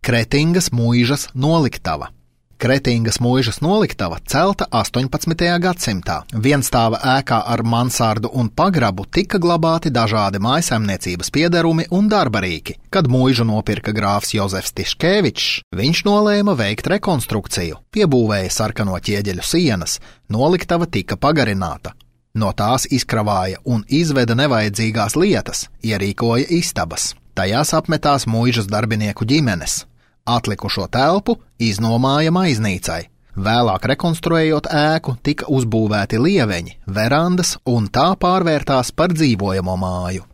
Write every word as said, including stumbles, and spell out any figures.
Kretingas muižas noliktava. Kretingas muižas noliktava celta astoņpadsmitajā gadsimtā. Vienstāva ēkā ar mansardu un pagrabu tika glabāti dažādi mājsaimniecības piederumi un darbarīki. Kad muižu nopirka grāfs Jozefs Tiškevičs, viņš nolēma veikt rekonstrukciju, piebūvēja sarkano ķieģeļu sienas, noliktava tika pagarināta. No tās izkravāja un izveda nevajadzīgās lietas, ierīkoja istabas. Tajās apmetās muižas darbinieku ģimenes. Atlikušo telpu iznomāja maiznīcai. Vēlāk rekonstruējot ēku, tika uzbūvēti lieveņi, verandas un tā pārvērtās par dzīvojamo māju.